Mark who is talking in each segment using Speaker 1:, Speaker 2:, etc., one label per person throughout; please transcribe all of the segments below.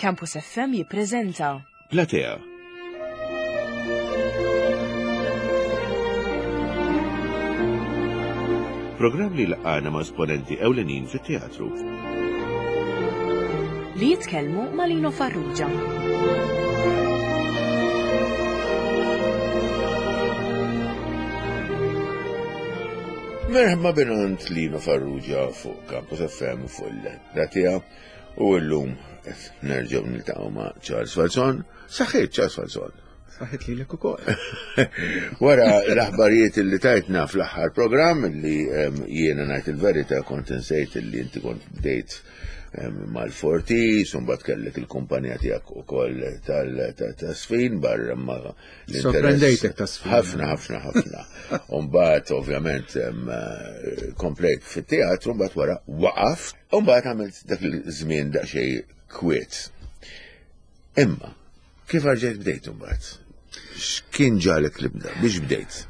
Speaker 1: Campus FM jippreżenta
Speaker 2: Platea. Programm li laqana ma' esponenti ewlenin fit-teatru.
Speaker 1: Li jitkellmu ma' Lino Farrugia.
Speaker 2: Merħba binant Lino Farrugia fuq Campus FM fuq il-Platea. U llum qed nerġgħu niltaqgħu ma' Charles Falzon. Saħħit Charles Falzon.
Speaker 3: Saħħit lilek ukoll.
Speaker 2: Wara l-aħbarijiet li tajtna fl-aħħar programm li jiena ngħid il-verità kont insejt li inti kont bdejt mal-Fortis, un bat kellek il-kumpanija tiegħek ukoll tal-sfin barra ma
Speaker 3: Sorprendejtek ta' sfin.
Speaker 2: Ħafna, ħafna, ħafna. Umbat, ovvjament, eh, komplejt fit-teatru, mbagħad wara waqaf, umbat għamilt dak il-żmien daqsxejn kwiet. Imma, kif rġajt bdejt mbagħad? X'kien ġalek li bda? Biex bdejt?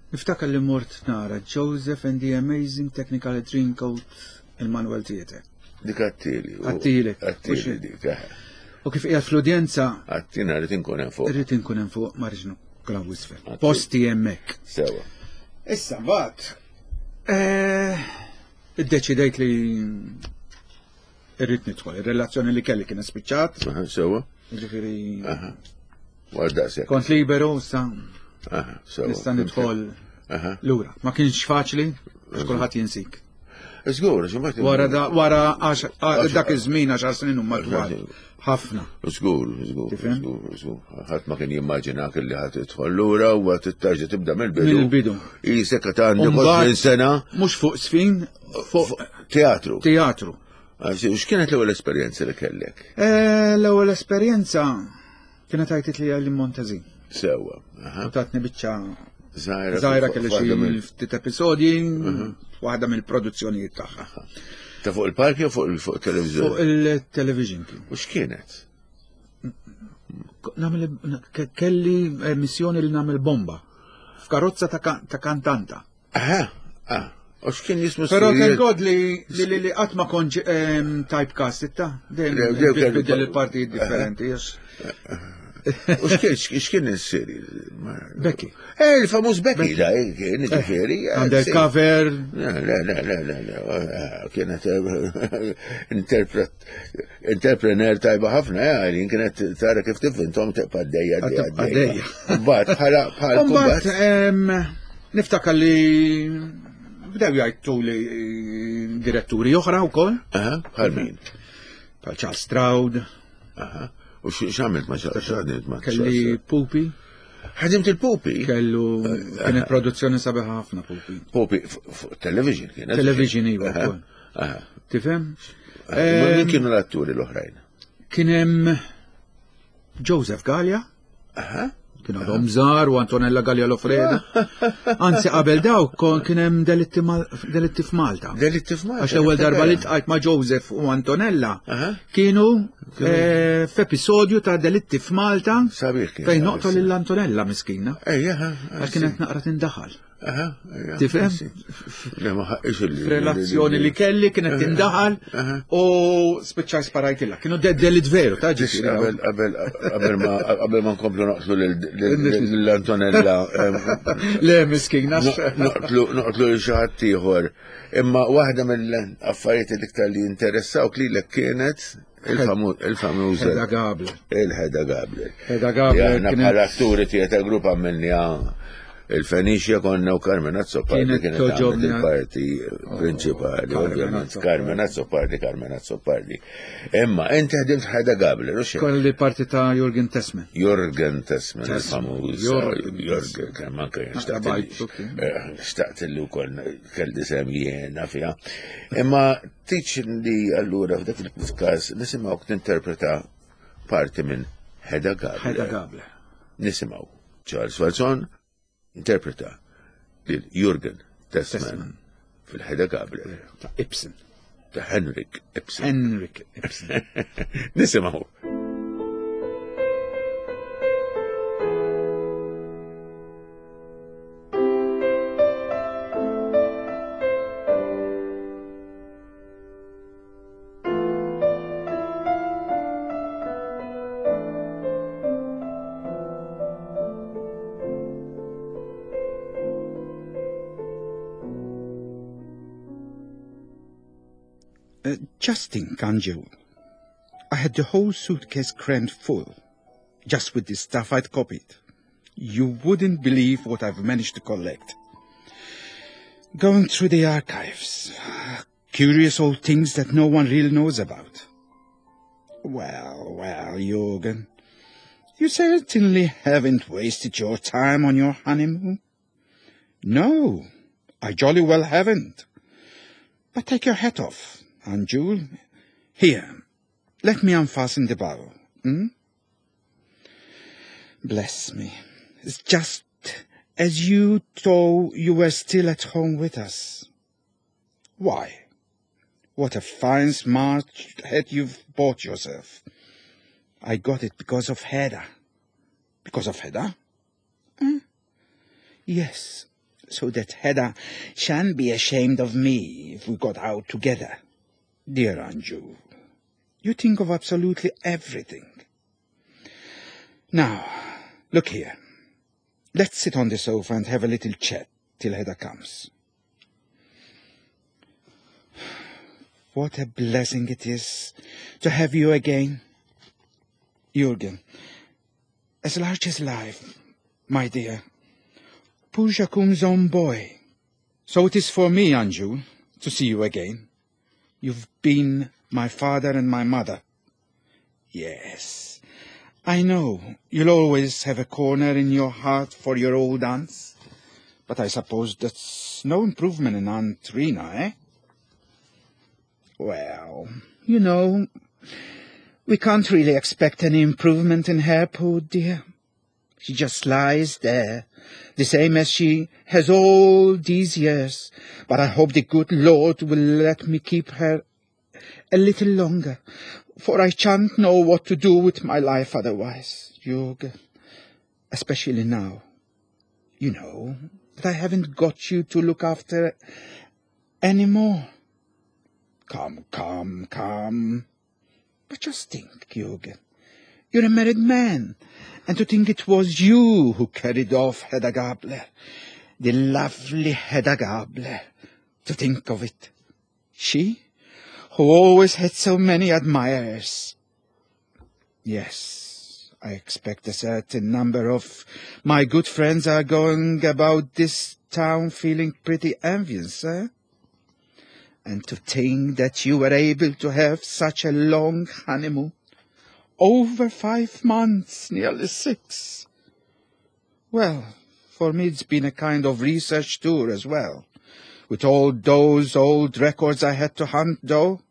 Speaker 3: Niftakar li mort nara Joseph and the Amazing Technical Dreamcoat il-Manuel Theatre.
Speaker 2: Dik għattili.
Speaker 3: Għattili.
Speaker 2: Għattili dik. Eh.
Speaker 3: U kif qiegħed fl-udjenza.
Speaker 2: Għattina rrid inkun hemm fuq.
Speaker 3: Rrid inkun hemm fuq ma rridx nukla wisfel. Posti hemmhekk.
Speaker 2: Sewa.
Speaker 3: Issa mbagħad eh, iddeċidejt li irrid nidħol. Ir-relazzjoni li kelli kien spiċċat.
Speaker 2: Sewa.
Speaker 3: Ġifieri.
Speaker 2: Għal
Speaker 3: Kont liberu sa. Nista' nidħol lura. Ma kienx faċli, għax kulħadd jinsik.
Speaker 2: Żgur,
Speaker 3: Wara da, wara dak iż-żmien għaxar snin huma twal. Ħafna.
Speaker 2: Żgur, żgur, żgur, żgur. Ħadd ma kien jimmaġinak li ħadd tidħol lura u għad tarġa' tibda mill-bidu.
Speaker 3: Mill-bidu.
Speaker 2: Isek qed għandek 20 sena.
Speaker 3: Mhux fuq sfin, fuq
Speaker 2: teatru.
Speaker 3: Teatru.
Speaker 2: X'kienet l-ewwel esperjenza li kellek?
Speaker 3: Eh, l-ewwel esperjenza Kienet għajtit li għalli Montezin.
Speaker 2: Sewa.
Speaker 3: U tatni biċċa Zaħira kelli xi ftit episodji, waħda mill-produzzjonijiet tagħha.
Speaker 2: Ta' fuq il-park jew fuq il-television?
Speaker 3: Fuq il-television kien.
Speaker 2: U x'kienet?
Speaker 3: Kelli eh, missjoni li nagħmel bomba f'karozza ta' kantanta.
Speaker 2: Aha, ah, u x'kien jismu
Speaker 3: Però thank God li li li qatt ma kontx ehm, typecast ta' dejjem biddel il-partijiet differenti.
Speaker 2: U x'kien is-seri?
Speaker 3: Becky.
Speaker 2: Eh, il-famuż Becky, da, eh, kien eh, ġifieri.
Speaker 3: Eh, Undercover.
Speaker 2: Le, le, le, le, le, kienet interpret interprener tajba ħafna, jien kienet tara kif tivvintom tibqa' għaddejja
Speaker 3: għaddejja.
Speaker 2: Mbagħad bħala bħala
Speaker 3: Mbagħad niftakar li bdew jgħidtu li diretturi oħra wkoll.
Speaker 2: Bħal min?
Speaker 3: Bħal Charles Stroud.
Speaker 2: U x'għamilt ma' Charles
Speaker 3: ma' Kelli Pupi.
Speaker 2: Ħadimt il-Pupi?
Speaker 3: Kellu kienet produzzjoni sabiħa ħafna Pupi.
Speaker 2: Pupi, television kienet.
Speaker 3: Television iva. Tifhem?
Speaker 2: Min kienu l-atturi l-oħrajn?
Speaker 3: Kien hemm Joseph Gallia. Kien għadhom żgħar u Antonella Gallia Lofreda. Anzi qabel daw kien hemm delitti f'Malta.
Speaker 2: Delitti f'Malta.
Speaker 3: Għax l-ewwel darba li tqajt ma' Joseph u Antonella kienu eh, f'episodju ta' delitti f'Malta fejn noqtol lil Antonella miskina. Għax kienet naqra tindaħal. Tifhem? F'relazzjoni li kelli kienet tindaħal u spiċċaj sparajtilha. Kienu delit veru, ta'
Speaker 2: ġifieri. Qabel ma nkomplu noqtlu l-Antonella.
Speaker 3: Le miskin,
Speaker 2: noqtlu lil xi ħadd ieħor. Imma waħda mill-affarijiet l-iktar li interessawk lilek kienet Il-famuż.
Speaker 3: Hedda Gabler.
Speaker 2: Il-Hedda Gabler.
Speaker 3: Hedda Gabler.
Speaker 2: Aħna bħala atturi tieta grupp għamilniha il-Fenicia konna u Carmen Azzopardi kienet għamlet il-parti oh, prinċipali, ovvjament. Carmen Azzopardi, Carmen Azzopardi. Imma, inti ħdimt Hedda Gabler, u xejn?
Speaker 3: Kolli parti ta' Jurgen Tessman.
Speaker 2: Jurgen Tessman, il-famuż. Jurgen, kemm anke xtaqt li wkoll kelli sem jiena fiha. Imma Tiċ li allura f'dak il-każ nisimgħuk tinterpreta parti minn Hedda Gabler.
Speaker 3: Hedda Gabler.
Speaker 2: Nisimgħu Charles Falzon interpreta lil Jurgen Tessman fil-Hedda Gabler.
Speaker 3: Ta' Ibsen.
Speaker 2: Ta' Henrik Ibsen.
Speaker 3: Henrik Ibsen.
Speaker 2: Nisimgħu.
Speaker 4: Just think, Anju. I had the whole suitcase crammed full, just with the stuff I'd copied. You wouldn't believe what I've managed to collect. Going through the archives, curious old things that no one really knows about. Well, well, Jürgen, you certainly haven't wasted your time on your honeymoon. No, I jolly well haven't. But take your hat off, Anjul. Here, let me unfasten the bow. Hmm? Bless me. It's just as you though you were still at home with us. Why? What a fine, smart hat you've bought yourself. I got it because of Hedda. Because of Hedda? Hmm? Yes, so that Hedda shan't be ashamed of me if we got out together. Dear Anju, you think of absolutely everything. Now, look here. Let's sit on the sofa and have a little chat till Hedda comes. What a blessing it is to have you again. Jürgen, as large as life, my dear. Poor Jacques's own boy. So it is for me, Anju, to see you again. You've been my father and my mother. Yes, I know you'll always have a corner in your heart for your old aunts. But I suppose that's no improvement in Aunt Rina, eh? Well, you know, we can't really expect any improvement in her, poor dear. She just lies there, the same as she has all these years. But I hope the good Lord will let me keep her a little longer, for I shan't know what to do with my life otherwise, Jürgen. Especially now. You know that I haven't got you to look after any more. Come, come, come. But just think, Jürgen. You're a married man, and to think it was you who carried off Hedda Gabler, the lovely Hedda Gabler. To think of it. She, who always had so many admirers. Yes, I expect a certain number of my good friends are going about this town feeling pretty envious, eh? And to think that you were able to have such a long honeymoon. Over 5 months, nearly 6. Well, for me it's been a kind of research tour as well, with all those old records I had to hunt, though.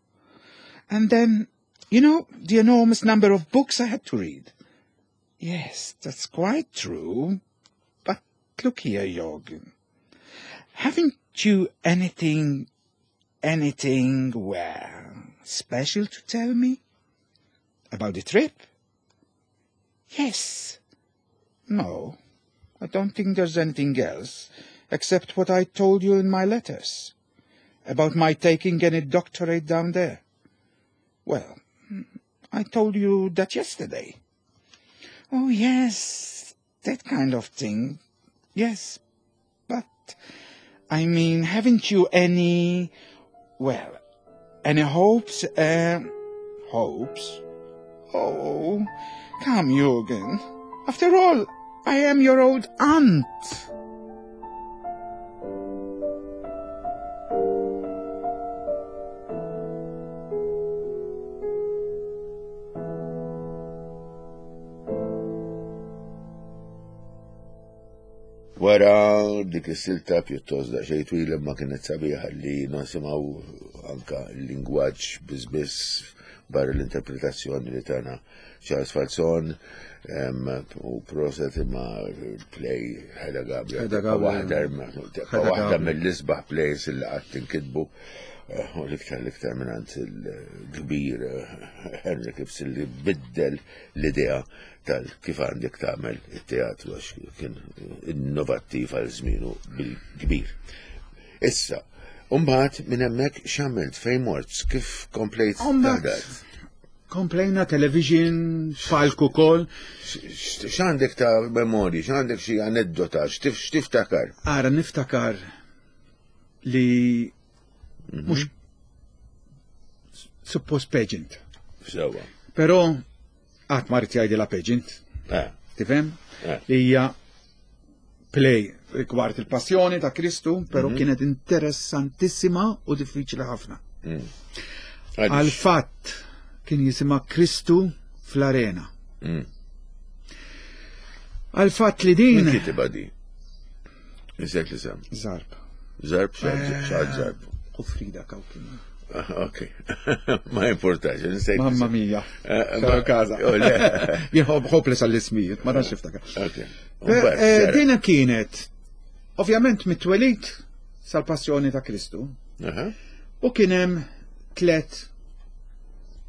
Speaker 4: And then, you know, the enormous number of books I had to read. Yes, that's quite true. But look here, Jürgen. Haven't you anything, well, special to tell me? About the trip? Yes. No, I don't think there's anything else, except what I told you in my letters, about my taking any doctorate down there. Well, I told you that yesterday. Oh, yes, that kind of thing. Yes, but, I mean, haven't you any, well, any hopes, hopes? Oh, come, Jürgen. After all, I am your old aunt.
Speaker 2: Wara dik is-silta pjuttost daqsxejn twila ma kienet sabiħa li nisimgħu anka l-lingwaġġ biss barra l-interpretazzjoni li tana Charles Falzon u proset imma play Hedda Gabler.
Speaker 3: Hedda Gabler.
Speaker 2: Waħda mill-isbaħ plays li qatt inkitbu. U l-iktar l-iktar mingħand il-kbir Henrik Ibsen li biddel l-idea tal kif għandek tagħmel it-teatru għax kien innovattiv għal żmienu bil-kbir. Issa, mbagħad minn hemmhekk x'għamilt, fejn mort, kif komplejt taħdem?
Speaker 3: Komplejna television, palku kol.
Speaker 2: X'għandek ta' memorji, x'għandek xi aneddota, x'tiftakar?
Speaker 3: Ara, niftakar li mhux suppost pageant.
Speaker 2: Sewa.
Speaker 3: Però qatt ma rrid jgħidilha pageant.
Speaker 2: Eh.
Speaker 3: Tifhem?
Speaker 2: Eh.
Speaker 3: Li hija play rigward il-passjoni ta' Kristu, però mm -hmm. kienet interessantissima u diffiċli ħafna.
Speaker 2: Mm.
Speaker 3: Għal fatt kien jisimha Kristu fl-arena.
Speaker 2: Mm.
Speaker 3: Għal fatt li din.
Speaker 2: Min kitibha di? Insejt li sem.
Speaker 3: Zarb.
Speaker 2: Zarb, xaħat zarb.
Speaker 3: U Frida Kawkin.
Speaker 2: Ah, ok, ma importax, insejt.
Speaker 3: Mamma mia,
Speaker 2: eh,
Speaker 3: ma kaza.
Speaker 2: Oh,
Speaker 3: Jien hopeless għall-ismijiet, ma tantx niftakar.
Speaker 2: Ok.
Speaker 3: Eh, dina kienet, ovvjament mit-twelid sal-passjoni ta' Kristu. U kien hemm tlet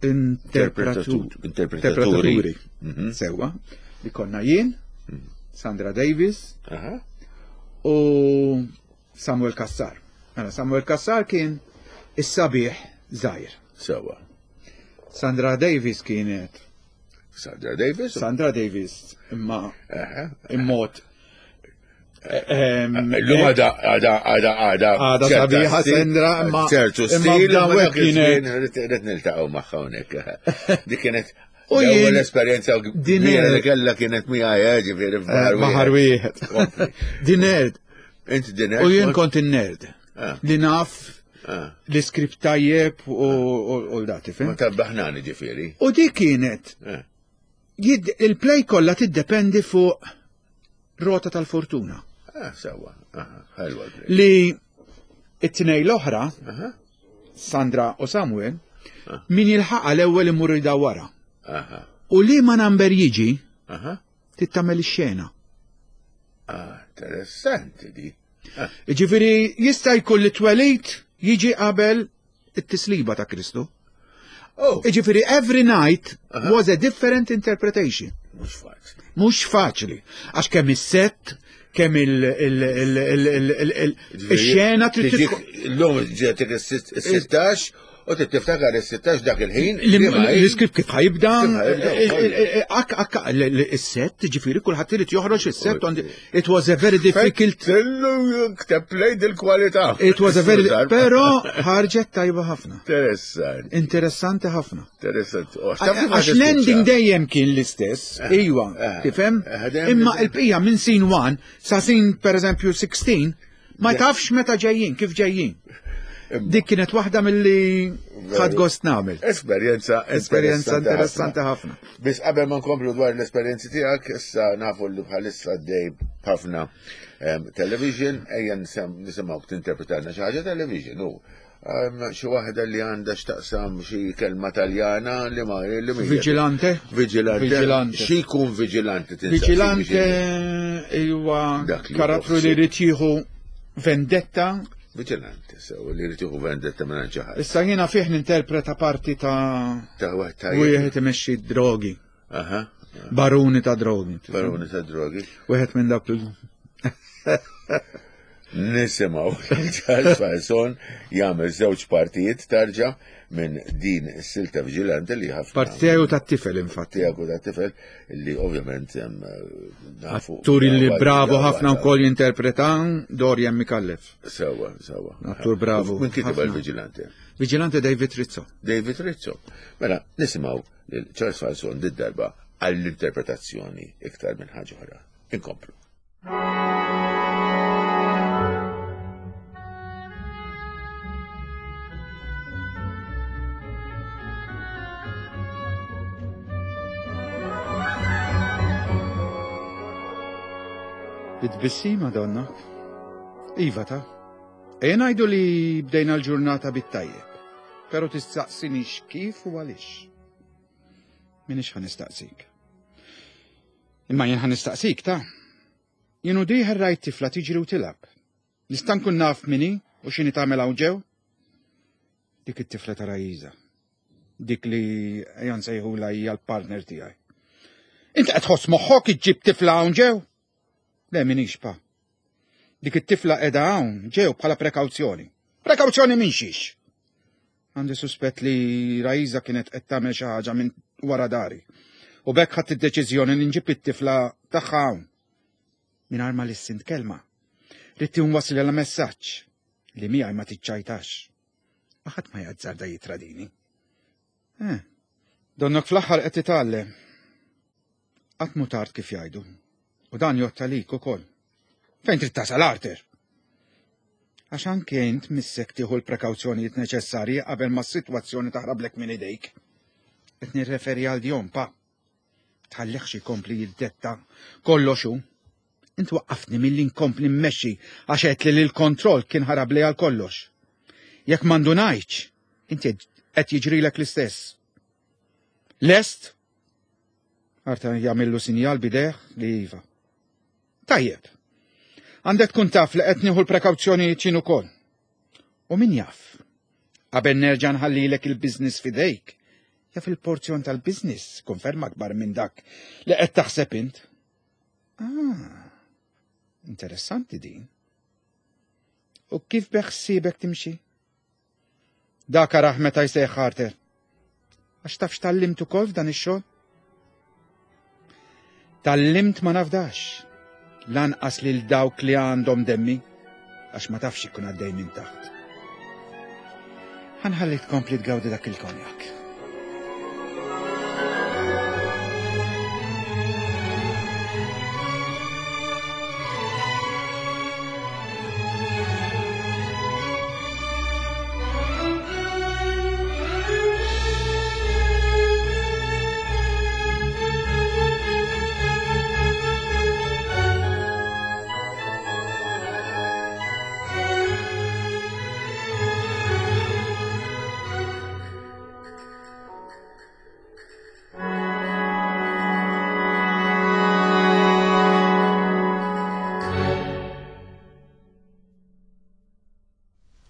Speaker 2: interpretaturi.
Speaker 3: Mhm. Sewwa, li konna jien,
Speaker 2: mhm.
Speaker 3: Sandra Davis u Samuel Kassar. Mela Samuel Kassar kien is-sabiħ żgħir.
Speaker 2: Sewwa.
Speaker 3: Sandra Davis kienet
Speaker 2: Sandra Davis?
Speaker 3: Sandra Davis imma immod
Speaker 2: L-lum għada, għada, għada, għada.
Speaker 3: Għada sabiħa Sandra, imma.
Speaker 2: ċertu stil, imma kienet. Rrit niltaqgħu magħha hawnhekk. Dik kienet
Speaker 3: U
Speaker 2: l-ewwel esperjenza kbira li kellha kienet miegħi eh, ġifieri
Speaker 3: f'baħar eh, Baħar wieħed. Di nerd.
Speaker 2: Int di nerd.
Speaker 3: U jien kont in-nerd.
Speaker 2: Ah.
Speaker 3: Li naf
Speaker 2: ah.
Speaker 3: li skript tajjeb u l-dati,
Speaker 2: Ma tabbaħnani ġifieri.
Speaker 3: U di kienet
Speaker 2: eh.
Speaker 3: Il-play kollha tiddependi fuq rota tal-fortuna.
Speaker 2: Ah, sewa, ħelwa.
Speaker 3: Li it-tnej l-oħra, Sandra u Samuel,
Speaker 2: ah.
Speaker 3: min jilħaqa l-ewwel imur jdawwara. U li ma number jiġi, tittamel ix-xena.
Speaker 2: Ah, interessanti di. Ah.
Speaker 3: Ġifieri jista' jkun li twelid jiġi qabel it-tisliba ta' Kristu.
Speaker 2: Oh.
Speaker 3: Ġifieri every night was a different interpretation.
Speaker 2: Mhux faċli.
Speaker 3: Mhux faċli. Għax kemm is-set, kemm il-xena trid
Speaker 2: Illum ġetek is-16 u trid tiftakar is-16 dak il-ħin.
Speaker 3: L-iskript kif ħajibda, is-set, ġifieri kulħadd irid joħroġ is-set, it was a very difficult.
Speaker 2: Tillu kteb lejn il-kwalità.
Speaker 3: It was a very, però ħarġet tajba ħafna.
Speaker 2: Interessanti.
Speaker 3: Interessanti ħafna.
Speaker 2: Interessanti. Oh,
Speaker 3: Għax l-ending dejjem kien l-istess,
Speaker 2: Eh,
Speaker 3: iwa, tifhem? Imma il-bqija minn scene 1 sa scene per eżempju 16 ma tafx meta ġejjin, kif ġejjin. Dik kienet waħda milli ħadd gost nagħmel.
Speaker 2: Esperjenza
Speaker 3: Esperjenza interessanti ħafna.
Speaker 2: Biss qabel ma nkomplu dwar l-esperjenzi tiegħek, issa nafu li bħalissa għaddej ħafna television, ejja nisimgħu tinterpretalna xi ħaġa television u xi waħda li għandha x'taqsam xi kelma Taljana li ma li mhija.
Speaker 3: Vigilante?
Speaker 2: Vigilante.
Speaker 3: Vigilante.
Speaker 2: Xi jkun vigilante tinsab?
Speaker 3: Vigilante huwa
Speaker 2: Dak li
Speaker 3: karattru li jrid jieħu vendetta.
Speaker 2: Vigilante, sew li jrid jieħu vendetta minn xi ħadd.
Speaker 3: Issa jiena fih ninterpreta parti ta'
Speaker 2: Ta' waħed tajjeb.
Speaker 3: wieħed imexxi drogi,
Speaker 2: Aha.
Speaker 3: baruni ta' drogi.
Speaker 2: Baruni ta' drogi.
Speaker 3: Wieħed minn dawk il-
Speaker 2: Nisimgħu Charles Falzon jagħmel żewġ partijiet tarġa minn din is-silta Vigilante li ħafna.
Speaker 3: Parti tiegħu tat-tifel infatti.
Speaker 2: Tiegħek u tat-tifel li ovvjament nafu.
Speaker 3: Attur li bravo ħafna wkoll jinterpreta Dorian Micallef.
Speaker 2: Sewa, sewa.
Speaker 3: Attur bravo.
Speaker 2: Min kiteb
Speaker 3: ħafna.
Speaker 2: il-Vigilante?
Speaker 3: Vigilante David Rizzo.
Speaker 2: David Rizzo. Mela, nisimgħu lil Charles Falzon did-darba għall-interpretazzjoni iktar minn ħaġa oħra. Inkomplu.
Speaker 3: Bit-tbissima donna. Iva ta. Ejja ngħidu li bdejna l-ġurnata bit-tajjeb. Però tistaqsinix kif u għaliex. Minix ħa nistaqsik. Imma jien ħa nistaqsik ta. Jien u dieħel rajt tifla tiġri u tilgħab. Nista' nkun naf min hi u x'inhi tagħmel hawn ġew? Dik it-tifla ta' Rajiza. Dik li ejja nsejħulha hija l-partner tiegħi. Int qed tħoss moħħok iġġib tifla hawn ġew? Le minix pa. Dik it-tifla qiegħda hawn ġew bħala prekawzjoni. Prekawzjoni minn xiex? Għandi suspett li Rajiza kienet qed tagħmel xi ħaġa minn wara dari. U b'hekk ħadt id-deċiżjoni li nġib it-tifla tagħha hawn. Mingħajr ma lissint kelma. Ridt inwassilha messaġġ li miegħi ma tiċċajtax. Ma ħadd ma jazzarda jitradini.
Speaker 4: Eh, donnok fl-aħħar qed titgħallem. Qatt mhu tard kif jgħidu. U dan jgħodd għalik ukoll. Fejn trid tasal Arthur? Għax anke int missek tieħu l-prekawzjonijiet neċessarji qabel ma s-sitwazzjoni taħrablek minn idejk. Qed nirreferi għal Dion pa. Tħallihx ikompli jiddetta kollox hu. Int waqqaftni milli nkompli mmexxi għax għedtli li l-kontroll kien ħarabli għal kollox. Jekk ma ndunajtx, inti qed jiġrilek l-istess. Lest? Arta jagħmillu sinjal bidejh li iva. Tajjeb. Għandek tkun taf li qed nieħu l-prekawzjonijiet jien ukoll. U min jaf? Qabel nerġa' nħallilek il-business f'idejk, jaf il-porzjon tal-business konferma akbar minn dak li qed taħseb int. Ah, interessanti din. U kif beħsiebek timxi? Dak arah meta jsejħ Carter. Għax taf x'tallimt ukoll f'dan ix-xogħol? Tallimt ma nafdax. Lanqas lil dawk li għandhom demmi għax ma tafx ikun għaddej minn taħt. Ħanħalli tkompli tgawdi dak il-konjak.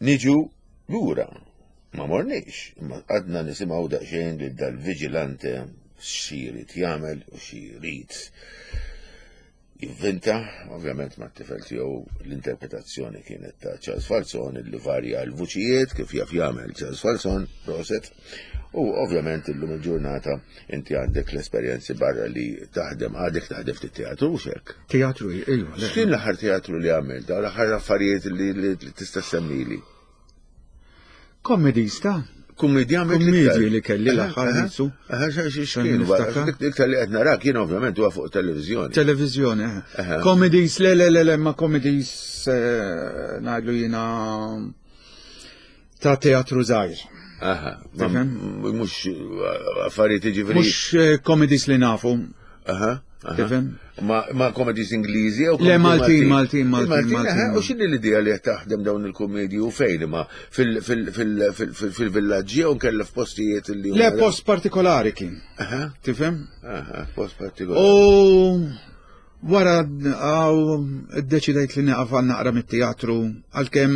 Speaker 2: Niġu lura, ma morniex, imma għadna nisimgħu daqsxejn lil dal-viġilante xi jrid jagħmel u xi jrid jivvinta, ovvjament ma' tifel tiegħu l-interpretazzjoni kienet ta' Charles Falzon li varja l-vuċijiet kif jaf jagħmel Charles Falzon, proset. U ovvjament illum il-ġurnata inti għandek l-esperjenzi barra li taħdem għadek taħdem ftit teatru u xek.
Speaker 3: Teatru, iva.
Speaker 2: X'kien l-aħħar teatru li għamilt, l-aħħar affarijiet li tista' semmili?
Speaker 3: Comedies ta'
Speaker 2: Kummedja
Speaker 3: Kummedji li kelli l-aħħar qisu.
Speaker 2: X'kien Iktar li qed narak jien ovvjament huwa fuq televiżjoni.
Speaker 3: Televiżjoni, Comedies, le le le le ma comedies eh, ngħidlu jiena ta' teatru żgħir.
Speaker 2: Aha, mhux eh, affarijiet jiġifieri.
Speaker 3: Mhux eh, comedies li nafu.
Speaker 2: Aha.
Speaker 3: Tifhem?
Speaker 2: Ma comedies Ingliżi
Speaker 3: jew Le Maltin, Maltin, Maltin, Maltin.
Speaker 2: U x'inhi l-idea li qed taħdem dawn il-kumedji u fejn imma fil-villaġġi jew nkella f'postijiet li
Speaker 3: Le post partikolari kien. Tifhem?
Speaker 2: Aha, post partikolari.
Speaker 3: U wara għaw iddeċidejt li nieqaf għal naqra mit-teatru għalkemm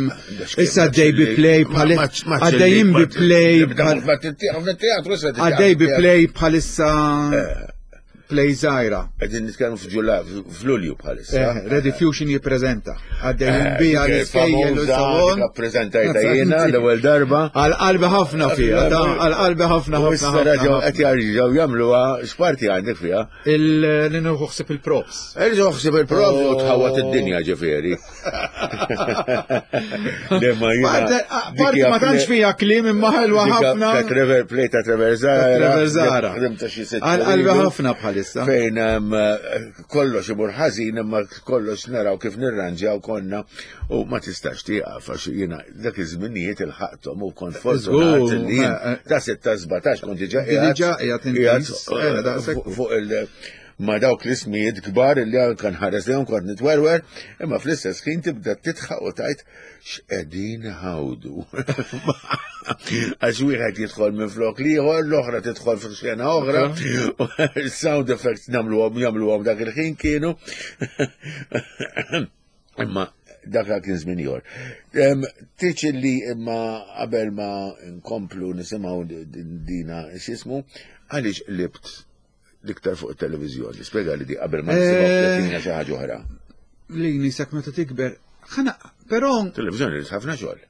Speaker 3: issa għaddej bi play bħal għaddejjin bi play għaddej bi play bħalissa eh. Play żgħira.
Speaker 2: Qegħdin nitkellmu f'Ġulla f'Lulju bħalissa.
Speaker 3: Eh, Ready Fusion jippreżenta. Għaddejjin eh, bija l-iskejjel u
Speaker 2: salon. Ppreżentajta jiena l-ewwel darba.
Speaker 3: Għal qalbi ħafna fiha, għal qalbi ħafna
Speaker 2: ħafna. Issa qed jarġgħu jagħmluha x'parti għandek fiha?
Speaker 3: Li nieħu ħsieb il-props.
Speaker 2: Irġgħu ħsieb il-props u tħawwat id-dinja ġifieri.
Speaker 3: Parti ma tantx fija kliem imma ħelwa ħafna.
Speaker 2: Ta' Trevor Play ta' Trevor Zara.
Speaker 3: Trevor Zara. Għal-qalbi ħafna bħalissa.
Speaker 2: Fejn kollox imur ħażin imma kollox naraw kif nirranġaw konna u ma tistax tieqaf għax jiena dak iż-żminijiet il-ħaqthom u kont fortunat li ta' 6 17 kont diġà
Speaker 3: qiegħed
Speaker 2: fuq il- ma' dawk l-ismijiet kbar li anka nħares lejhom kont nitwerwer, imma fl-istess ħin tibda titħaq u tajt x'qegħdin ħawdu. Għax wieħed jidħol minn flok liħor, l-oħra tidħol fi xena oħra, sound effects nagħmluhom jagħmluhom dak il-ħin kienu. Imma dak kien żmien ieħor. Tiċ li imma qabel ma nkomplu nisimgħu dina x'ismu, għaliex qlibt l-iktar fuq it-televiżjoni. Spjega li di qabel ma nisimgħu eh, xi ħaġa oħra.
Speaker 3: Li nisek meta tikber. Ħana, però.
Speaker 2: Televiżjoni li ħafna xogħol.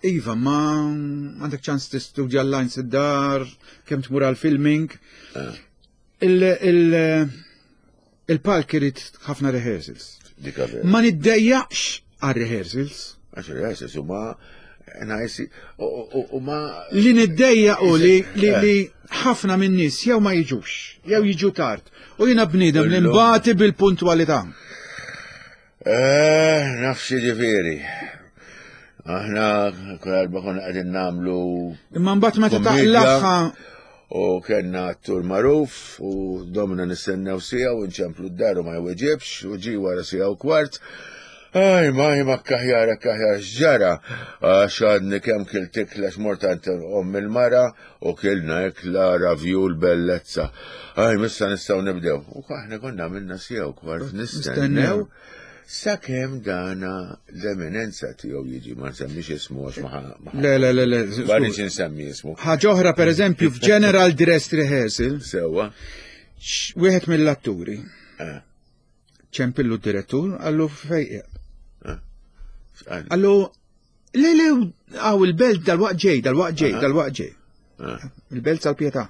Speaker 3: Iva, ma għandek ċans tistudja l-lines id-dar, kemm tmur għal-filming. Eh. Il-palk irid ħafna rehearsals. Ma niddejjaqx għal rehearsals.
Speaker 2: Għax rehearsals huma Najsi, u ma.
Speaker 3: Li niddejja u li li ħafna minn nies jew ma jiġux, jew jiġu tard. U jiena bniedem li nbati bil-puntwalità.
Speaker 2: Eh, nafx ġifieri. Aħna kull darba konna qegħdin nagħmlu.
Speaker 3: Imma mbagħad meta taqlaħħa
Speaker 2: u kellna attur magħruf u domna nistennew sija u nċemplu d-dar u ma jweġibx u ġi wara sija u kwart. Aj, ma ma kaħjar, kaħjar, x'ġara, għax għadni kemm kilt ikla x'mort omm il-mara u kilna ikla ravjul bellezza. Aj, missa nistgħu nibdew. U aħna konna għamilna sija u kwart nistennew. Sakemm dana l-eminenza tiegħu jiġi ma nsemmix ismu għax ma
Speaker 3: Le, le, le, le.
Speaker 2: Ma rridx insemmi ismu.
Speaker 3: Ħaġa oħra pereżempju f'General Dress Rehearsal.
Speaker 2: Sewwa.
Speaker 3: Wieħed mill-atturi. Eh. Ċempillu d-direttur, għallu fejq. Eh. Għallu, le, le, għaw il-belt dal-waqt ġej, dal-waqt ġej, dal-waqt ġej. Eh. Il-belt sal-pietà.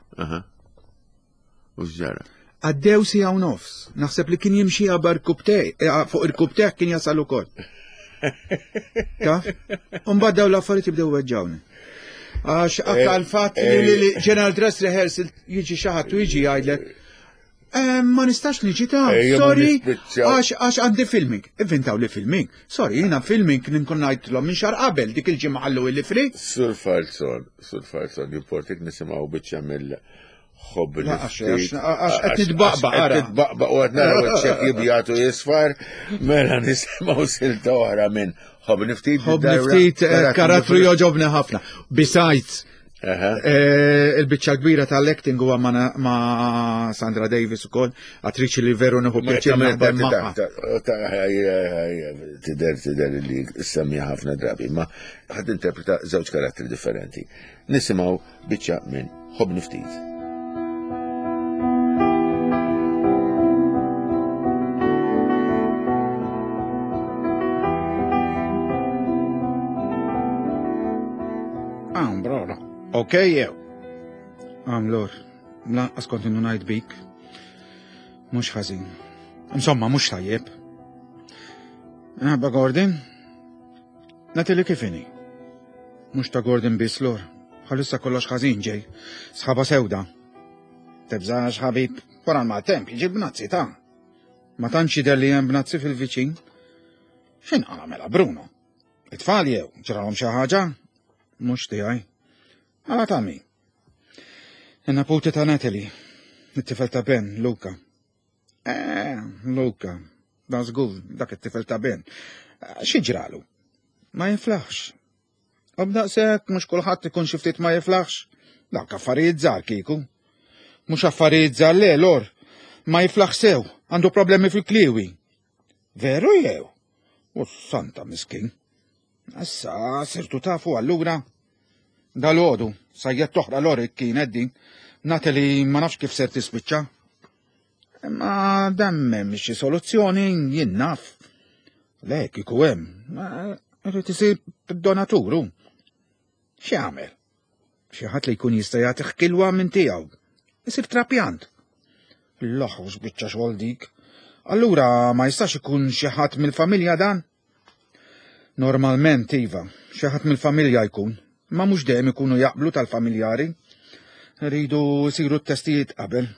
Speaker 2: U x'ġara?
Speaker 3: Għaddew siegħa u nofs. Naħseb li kien jimxi għabar kubtej, eh, fuq il-kubtej kien jasal ukoll. Taf? Umbagħad daw l-affarijiet jibdew weġġawni. Għax eh, aktar fatt li eh. General Dress Rehearsal jiġi xi ħadd u jiġi jgħidlek ma nistax niġi ta' sorry, għax għandi filming. Ivvintaw li filming. Sorry, jina filming ninkun ngħidlhom minn xar qabel dik il-ġimgħa ħallu illi free.
Speaker 2: Sur Falzon, Sur Falzon, jimportik nisimgħu biċċa mill Ħobb
Speaker 3: Għax qed nitbaqbaq.
Speaker 2: Qed nitbaqbaq u qed naraw iċ-ċekk jibjatu jisfar, mela nisimgħu silta oħra minn ħobb niftit.
Speaker 3: Ħobb niftit eh, karattru joġobni ħafna. Besides, eh, il-biċċa kbira tal-acting huwa ma' Sandra Davis ukoll, attriċi li veru nieħu pjaċir naħdem magħha.
Speaker 2: Tidher tidher li semmi ħafna drabi, ma ħadd interpreta żewġ karattri differenti. Nisimgħu biċċa minn Ħobbni Ftit.
Speaker 3: Għam, brora. Ok, jew. Għam, lor. Lanqas kont ngħid bik. Mhux ħażin. Insomma, mhux tajjeb. Għabba Gordon? Natalie kif inhi? Mhux ta' Gordon biss lor. Bħalissa kollox ħażin ġej. Sħaba sewda. Tibżax ħabib, wara l-maltemp jiġi bnazzi ta' Ma tantx jidher li hemm bnazzi fil-viċin. X'in qala mela Bruno? It-tfal jew ġralhom xi ħaġa? Mhux tiegħi. Mela ta' min? In-neputi ta' Natalie, it-tifel ta' Ben, Luca. Eh, Luka, da żgur, dak it-tifel ta' Ben. Eh, xi ġralu? Ma jiflaħx. U b'daqshekk mhux kulħadd ikun xi ftit ma jiflaħx. Dak affarijiet żgħar kieku. Mhux affarijiet żgħar le, lor. Ma jiflaħ sew, għandu problemi fil-kliwi. Veru jew? U santa miskin. Issa sirtu tafu allura. Dal-għodu, sajjet toħra lorik kienet din. Natalie ma nafx kif ser tispiċċa. Imma dan m'hemm xi soluzzjoni jien naf. Le, kieku hemm, irid isir donaturu. X'jagħmel? Xi ħadd li jkun jista' jagħti kilwa minn tiegħu. Isir trapjant. L-oħu x'biċċa xogħol dik. Allura ma jistax ikun xi ħadd mill-familja dan? Normalment, iva, xi ħadd mill-familja jkun, ma mhux dejjem ikunu jaqblu tal-familjari. Rridu jsiru t-testijiet qabel.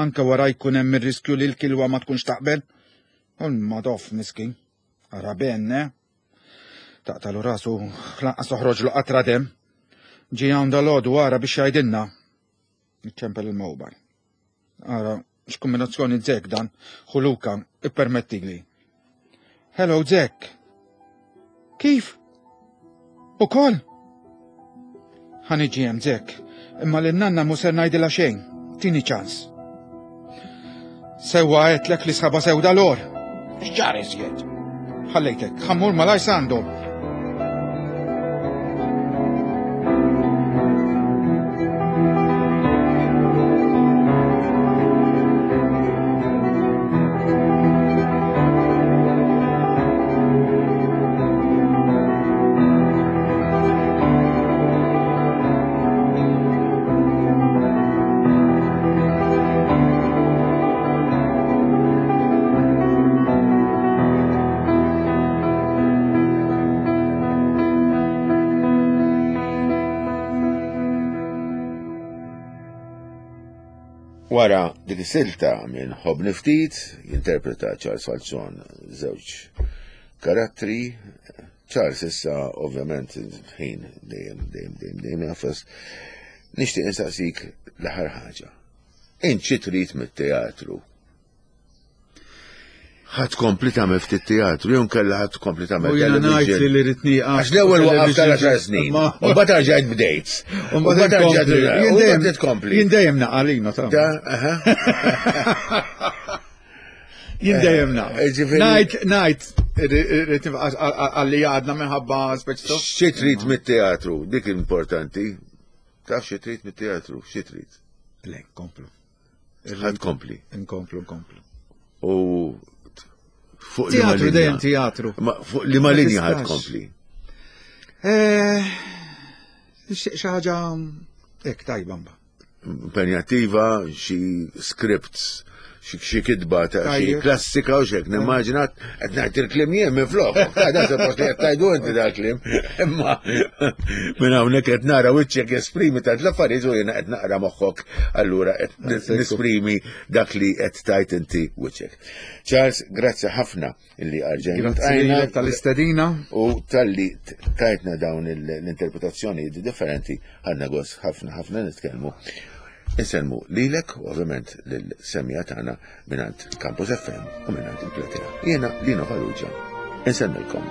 Speaker 3: Anke wara jkun hemm ir-riskju li l-kilwa ma tkunx taqbel. U l-madoff miskin. Ara ben, eh? Taqtalu rasu, lanqas toħroġlu qatra dem. Ġie hawn dal-għodu ara biex jgħidilna. Iċċempel il-mobile. Ara, x'kombinazzjoni Zek dan, Ħuluka, ippermettili. Hello, Zek. Kif? Ukoll? Ħa niġi hemm Zek, imma lin nanna mhu ser ngħidilha xejn. Tini ċans. Sewwa għedtlek li sħaba sewda lor. X'ġar iżjed? Ħallejtek, ħammur malaj sandom.
Speaker 2: Wara dik is-silta minn Ħobbni Ftit, jinterpreta Charles Falzon żewġ karattri. Charles issa ovvjament ħin dejjem dejjem dejjem dejjem jafas. Nixtieq insaqsik l-aħħar ħaġa. Int xi trid mit-teatru? Ħa tkompli tagħmel ftit teatru, jew nkella ħa tkompli tagħmel
Speaker 3: U jiena ngħid li li rrid nieqaf.
Speaker 2: Għax l-ewwel waqaf tal-10 snin. U mbagħad rġajt bdejt. U mbagħad rġajt
Speaker 3: Jien dejjem tkompli. Jien dejjem naqa' lino ta'. Jien dejjem naqa'. Eh, ngħid ngħid rrid għalli għadna minħabba speċi.
Speaker 2: Xi trid mit-teatru, dik importanti. Taf xi trid mit-teatru, xi trid?
Speaker 3: Le, komplu.
Speaker 2: Ħa tkompli.
Speaker 3: Nkomplu, nkomplu.
Speaker 2: U fuq
Speaker 3: teatru dejjem teatru.
Speaker 2: Ma fuq li ma linja ħad tkompli.
Speaker 3: Eh, xi ħaġa hekk tajba mbagħad.
Speaker 2: Impenjattiva, xi scripts xi kitba ta' xi klassika u xek, nimmaġina qed ngħid il-kliem jien minn flok. Ta' da suppost li qed tgħidu inti da kliem. Imma minn hawnhekk qed nara wiċċek jesprimi ta' l-affarijiet u jiena qed naqra moħħok allura qed nisprimi dak li qed tajt inti wiċċek. Charles, grazzi ħafna illi għarġajna.
Speaker 3: Grazzi tal-istedina.
Speaker 2: U tal-li tajtna dawn l-interpretazzjoni differenti għandna gost ħafna ħafna nitkellmu. Insellmu lilek u ovvjament lill-semmiegħa tagħna mingħand Campus FM u mingħand il-Platea. Jiena Lino Farrugia. Insellmilkom.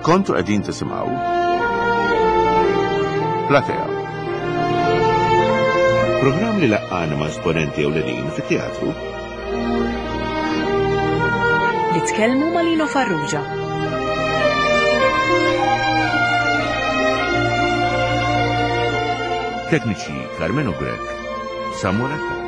Speaker 2: Kontu qegħdin tisimgħu Platea. Programm li laqqana ma' esponenti ewlenin fit-teatru.
Speaker 1: Li tkellmu ma' Lino Farrugia.
Speaker 2: Tekniċi Carmenu Grech, Samuel Attard.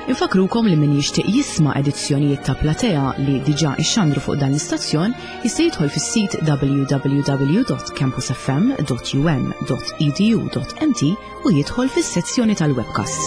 Speaker 1: Infakrukom li min jixtieq jisma' edizzjonijiet ta' Platea li diġà ixxandru fuq dan l-istazzjon jista' jidħol fis-sit www.campusfm.um.edu.mt u jidħol fis-sezzjoni tal-webcasts.